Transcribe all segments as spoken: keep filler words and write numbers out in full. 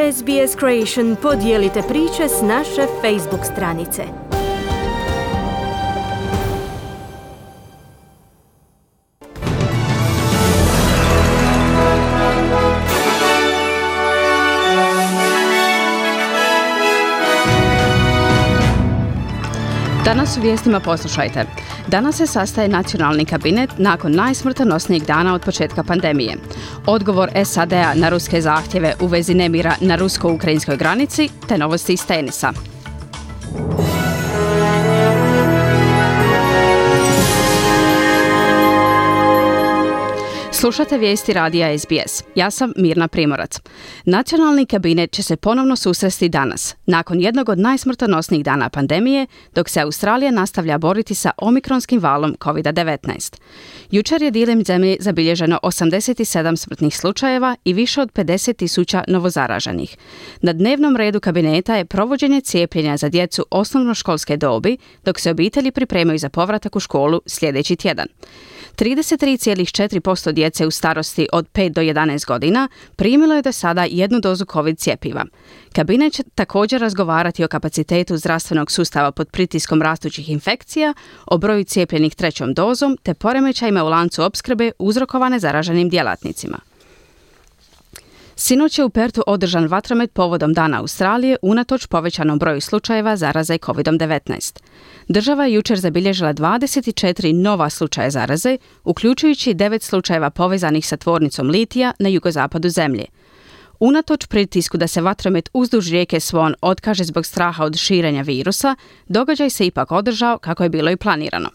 S B S Creation podijelite priče s naše Facebook stranice. Danas u vijestima poslušajte. Danas se sastaje nacionalni kabinet nakon najsmrtonosnijeg dana od početka pandemije. Odgovor S A D-a na ruske zahtjeve u vezi nemira na rusko-ukrajinskoj granici, te novosti iz tenisa. Slušate vijesti radija S B S. Ja sam Mirna Primorac. Nacionalni kabinet će se ponovno susresti danas, nakon jednog od najsmrtonosnijih dana pandemije, dok se Australija nastavlja boriti sa omikronskim valom covid devetnaest. Jučer je diljem zemlje zabilježeno osamdeset sedam smrtnih slučajeva i više od pedeset tisuća novozaraženih. Na dnevnom redu kabineta je provođenje cijepljenja za djecu osnovnoškolske dobi, dok se obitelji pripremaju za povratak u školu sljedeći tjedan. trideset tri zarez četiri posto djece u starosti od pet do jedanaest godina primilo je do sada jednu dozu COVID cjepiva. Kabinet će također razgovarati o kapacitetu zdravstvenog sustava pod pritiskom rastućih infekcija, o broju cijepljenih trećom dozom te poremećajima u lancu opskrbe uzrokovane zaraženim djelatnicima. Sinoć je u Pertu održan vatromet povodom Dana Australije unatoč povećanom broju slučajeva zaraze covid devetnaest. Država je jučer zabilježila dvadeset četiri nova slučaja zaraze, uključujući devet slučajeva povezanih sa tvornicom litija na jugozapadu zemlje. Unatoč pritisku da se vatromet uzduž rijeke Swan otkaže zbog straha od širenja virusa, događaj se ipak održao kako je bilo i planirano.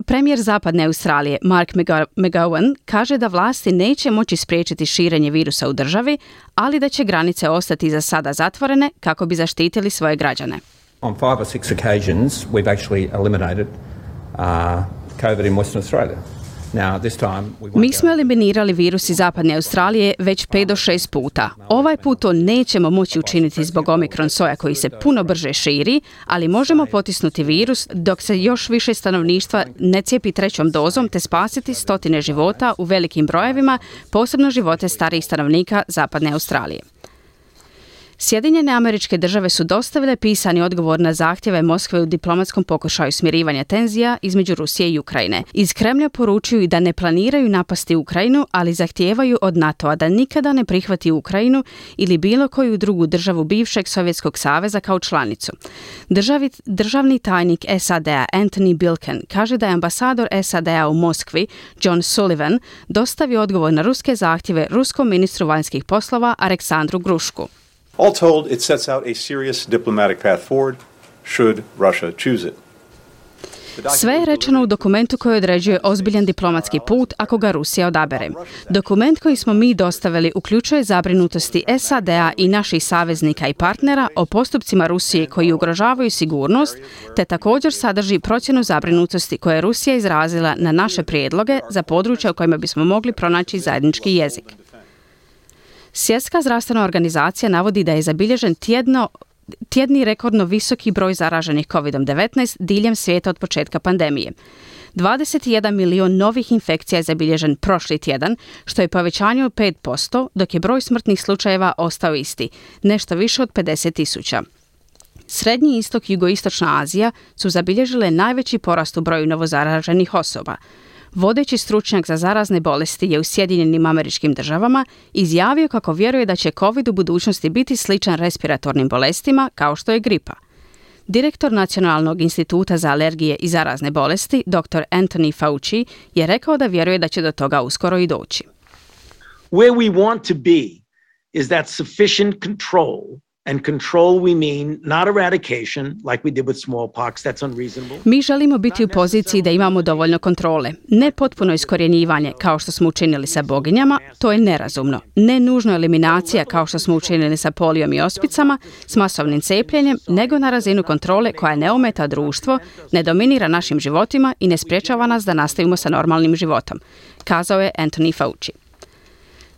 Premijer Zapadne Australije Mark McGowan kaže da vlasti neće moći spriječiti širenje virusa u državi, ali da će granice ostati za sada zatvorene kako bi zaštitili svoje građane. On five or six occasions we've actually eliminated uh, COVID in Western Australia. Now, this time we Mi smo eliminirali virus iz Zapadne Australije već pet do šest puta. Ovaj put to nećemo moći učiniti zbog omikron soja koji se puno brže širi, ali možemo potisnuti virus dok se još više stanovništva ne cijepi trećom dozom te spasiti stotine života u velikim brojevima, posebno živote starijih stanovnika Zapadne Australije. Sjedinjene Američke Države su dostavile pisani odgovor na zahtjeve Moskve u diplomatskom pokušaju smirivanja tenzija između Rusije i Ukrajine. Iz Kremlja poručuju da ne planiraju napasti Ukrajinu, ali zahtijevaju od NATO-a da nikada ne prihvati Ukrajinu ili bilo koju drugu državu bivšeg Sovjetskog saveza kao članicu. Državi, državni tajnik S A D-a Antony Blinken kaže da je ambasador S A D-a u Moskvi John Sullivan dostavio odgovor na ruske zahtjeve ruskom ministru vanjskih poslova Aleksandru Grušku. All told, it sets out a serious diplomatic path forward should Russia choose it. Sve je rečeno u dokumentu koji određuje ozbiljan diplomatski put ako ga Rusija odabere. Dokument koji smo mi dostavili uključuje zabrinutosti S A D-a i naših saveznika i partnera o postupcima Rusije koji ugrožavaju sigurnost, te također sadrži procjenu zabrinutosti koje je Rusija izrazila na naše prijedloge za područja u kojima bismo mogli pronaći zajednički jezik. Svjetska zdravstvena organizacija navodi da je zabilježen tjedno, tjedni rekordno visoki broj zaraženih covid devetnaest diljem svijeta od početka pandemije. dvadeset jedan milijun novih infekcija je zabilježen prošli tjedan, što je povećanje od pet posto, dok je broj smrtnih slučajeva ostao isti, nešto više od pedeset tisuća. Srednji istok i jugoistočna Azija su zabilježile najveći porast u broju novozaraženih osoba. Vodeći stručnjak za zarazne bolesti je u Sjedinjenim Američkim Državama izjavio kako vjeruje da će COVID u budućnosti biti sličan respiratornim bolestima kao što je gripa. Direktor Nacionalnog instituta za alergije i zarazne bolesti, dr Anthony Fauci, je rekao da vjeruje da će do toga uskoro i doći. Where we want to be is that sufficient control. And control we mean not eradication like we did with smallpox, that's unreasonable. Mi želimo biti u poziciji da imamo dovoljno kontrole. Ne potpuno iskorjenjivanje kao što smo učinili sa boginjama, to je nerazumno. Ne nužno eliminacija kao što smo učinili sa polijom i ospicama, s masovnim cijepljenjem, nego na razinu kontrole koja ne ometa društvo, ne dominira našim životima i ne sprječava nas da nastavimo sa normalnim životom, kazao je Anthony Fauci.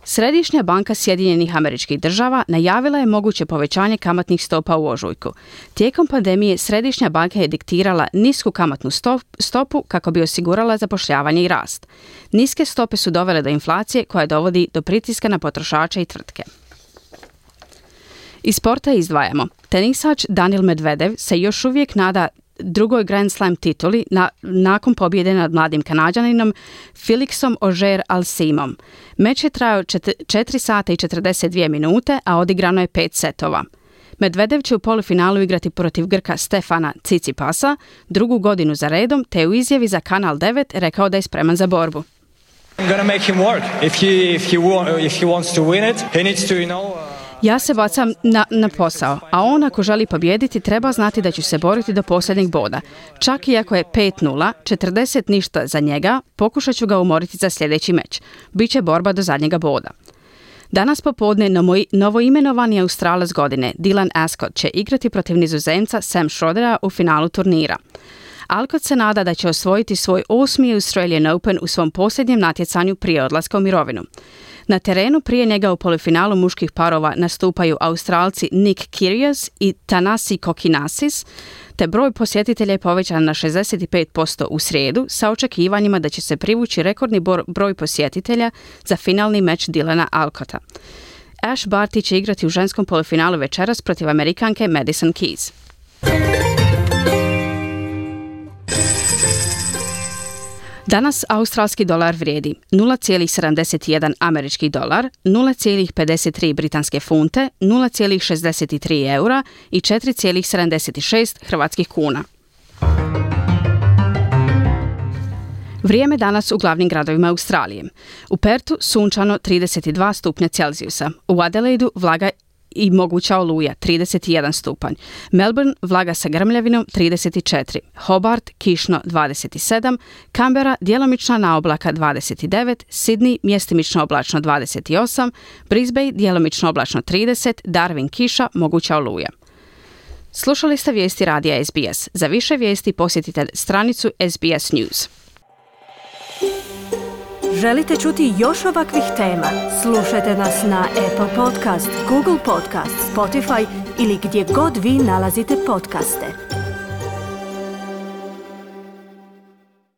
Središnja banka Sjedinjenih Američkih Država najavila je moguće povećanje kamatnih stopa u ožujku. Tijekom pandemije Središnja banka je diktirala nisku kamatnu stopu kako bi osigurala zapošljavanje i rast. Niske stope su dovele do inflacije koja dovodi do pritiska na potrošače i tvrtke. Iz sporta izdvajamo. Tenisač Daniil Medvedev se još uvijek nada drugoj Grand Slam tituli na, nakon pobjede nad mladim Kanađaninom Felixom Auger-Aliassimom. Meč je trajao četiri sata i četrdeset dvije minute, a odigrano je pet setova. Medvedev će u polufinalu igrati protiv Grka Stefana Tsitsipasa drugu godinu za redom, te u izjavi za Kanal devet rekao da je spreman za borbu. I'm gonna make him work. If he if he wa- if he wants to win it, he needs to, you know. Uh... Ja se bacam na, na posao, a on ako želi pobijediti treba znati da ću se boriti do posljednjeg boda. Čak i ako je pet nula, četrdeset ništa za njega, pokušat ću ga umoriti za sljedeći meč. Biće borba do zadnjega boda. Danas popodne novoimenovani Australac godine Dylan Ascott će igrati protiv Nizozemca Sam Schrodera u finalu turnira. Alcott se nada da će osvojiti svoj osmi Australian Open u svom posljednjem natjecanju prije odlaska u mirovinu. Na terenu prije njega u polufinalu muških parova nastupaju Australci Nick Kyrgios i Thanasi Kokkinakis, te broj posjetitelja je povećan na šezdeset pet posto u srijedu sa očekivanjima da će se privući rekordni broj posjetitelja za finalni meč Dylana Alcotta. Ash Barty će igrati u ženskom polufinalu večeras protiv Amerikanke Madison Keys. Danas australski dolar vrijedi nula zarez sedamdeset jedan američki dolar, nula zarez pedeset tri britanske funte, nula zarez šezdeset tri eura i četiri zarez sedamdeset šest hrvatskih kuna. Vrijeme danas u glavnim gradovima Australije. U Pertu sunčano trideset dva stupnja Celzijusa, u Adelaidu vlaga i moguća oluja trideset jedan stupanj, Melbourne vlaga sa grmljavinom trideset četiri, Hobart kišno dvadeset sedam, Canberra djelomična naoblaka dvadeset devet, Sydney mjestimično oblačno dvadeset osam, Brisbane djelomično oblačno trideset, Darwin kiša, moguća oluja. Slušali ste vijesti radija S B S. Za više vijesti posjetite stranicu S B S News. Želite čuti još ovakvih tema? Slušajte nas na Apple Podcast, Google Podcast, Spotify ili gdje god vi nalazite podcaste.